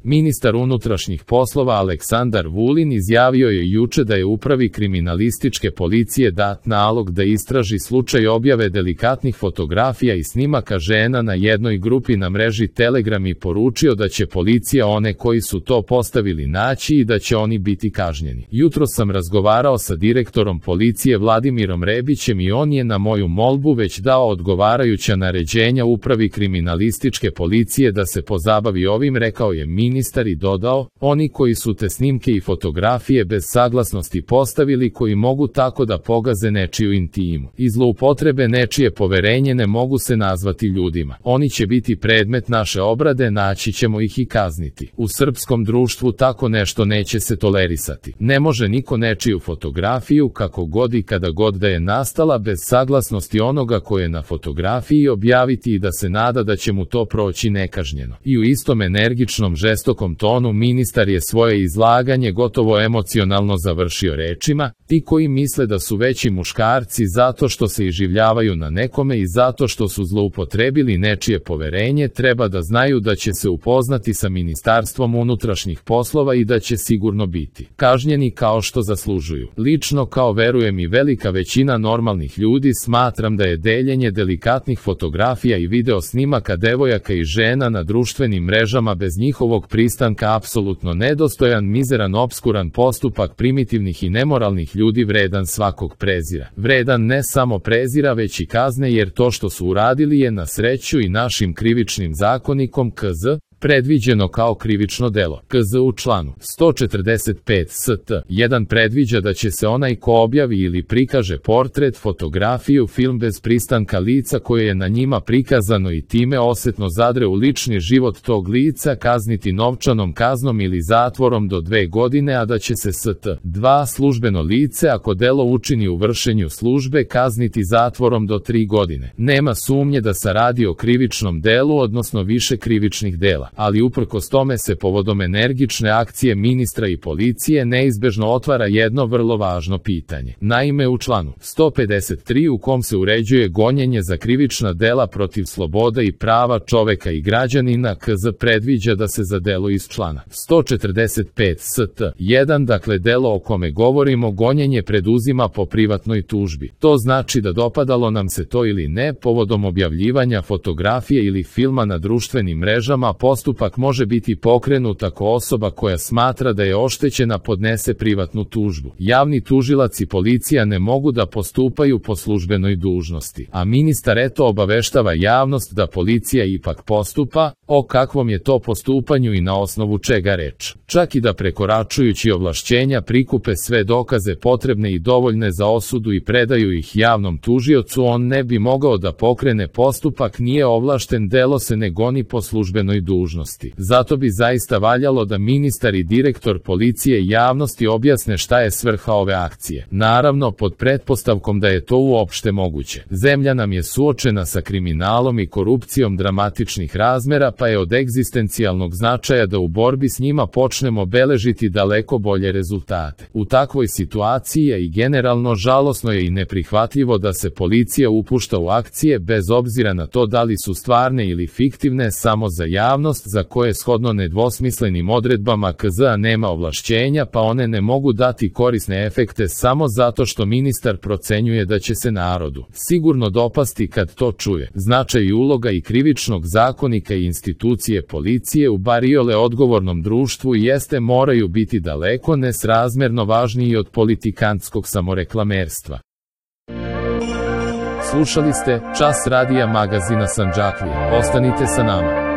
Ministar unutrašnjih poslova Aleksandar Vulin izjavio je juče da je Upravi kriminalističke policije dat nalog da istraži slučaj objave delikatnih fotografija i snimaka žena na jednoj grupi na mreži Telegram i poručio da će policija one koji su to postavili naći i da će oni biti kažnjeni. Jutros sam razgovarao sa direktorom policije Vladimirom Rebićem i on je na moju molbu već dao odgovarajuća naređenja Upravi kriminalističke policije da se pozabavi ovim, rekao je ministar i dodao, oni koji su te snimke i fotografije bez saglasnosti postavili, koji mogu tako da pogaze nečiju intimu i zloupotrebe nečije poverenje, ne mogu se nazvati ljudima. Oni će biti predmet naše obrade, naći ćemo ih i kazniti. U srpskom društvu tako nešto neće se tolerisati. Ne može niko nečiju fotografiju, kako god i kada god da je nastala, bez saglasnosti onoga ko je na fotografiji objaviti i da se nada da će mu to proći nekažnjeno. I u istom energičnom, žestokom tonu ministar je svoje izlaganje gotovo emocionalno završio rečima: ti koji misle da su veći muškarci zato što se iživljavaju na nekome i zato što su zloupotrebili nečije poverenje, treba da znaju da će se upoznati sa Ministarstvom unutrašnjih poslova i da će sigurno biti kažnjeni kao što zaslužuju. Lično, kao verujem i velika većina normalnih ljudi, smatram da je deljenje delikatnih fotografija i video snimaka devojaka i žena na društvenim mrežama bez njihovog pristanka apsolutno nedostojan, mizeran, opskuran postupak primitivnih i nemoralnih ljudi, vredan svakog prezira. Vredan ne samo prezira, već i kazne, jer to što su uradili je na sreću i našim krivičnim zakonikom KZ predviđeno kao krivično delo. KZ u članu 145 st. 1 predviđa da će se onaj ko objavi ili prikaže portret, fotografiju, film bez pristanka lica koje je na njima prikazano i time osetno zadre u lični život tog lica, kazniti novčanom kaznom ili zatvorom do 2 godine, a da će se st. 2 službeno lice, ako delo učini u vršenju službe, kazniti zatvorom do 3 godine. Nema sumnje da se radi o krivičnom delu, odnosno više krivičnih dela, ali uprkos tome se povodom energične akcije ministra i policije neizbežno otvara jedno vrlo važno pitanje. Naime, u članu 153 u kom se uređuje gonjenje za krivična dela protiv sloboda i prava čoveka i građanina, KZ predviđa da se za delo iz člana 145 st. 1, dakle delo o kome govorimo, gonjenje preduzima po privatnoj tužbi. To znači da, dopadalo nam se to ili ne, povodom objavljivanja fotografije ili filma na društvenim mrežama, postupak može biti pokrenut ako osoba koja smatra da je oštećena podnese privatnu tužbu. Javni tužilac i policija ne mogu da postupaju po službenoj dužnosti, a ministar eto obaveštava javnost da policija ipak postupa. O kakvom je to postupanju i na osnovu čega reč? Čak i da prekoračujući ovlašćenja prikupe sve dokaze potrebne i dovoljne za osudu i predaju ih javnom tužiocu, on ne bi mogao da pokrene postupak, nije ovlašten, delo se ne goni po službenoj dužnosti. Zato bi zaista valjalo da ministar i direktor policije javnosti objasne šta je svrha ove akcije. Naravno, pod pretpostavkom da je to uopšte moguće. Zemlja nam je suočena sa kriminalom i korupcijom dramatičnih razmera, pa je od egzistencijalnog značaja da u borbi s njima počnemo beležiti daleko bolje rezultate. U takvoj situaciji je i generalno žalosno je i neprihvatljivo da se policija upušta u akcije bez obzira na to da li su stvarne ili fiktivne, samo za javnost za koje shodno nedvosmislenim odredbama KZ-a nema ovlašćenja, pa one ne mogu dati korisne efekte samo zato što ministar procenjuje da će se narodu sigurno dopasti kad to čuje. Značaj i uloga i krivičnog zakonika i institucije policije u bar iole odgovornom društvu jeste moraju biti daleko nesrazmerno važniji od politikantskog samoreklamerstva. Slušali ste Čas radija magazina Sandžaklija. Ostanite sa nama.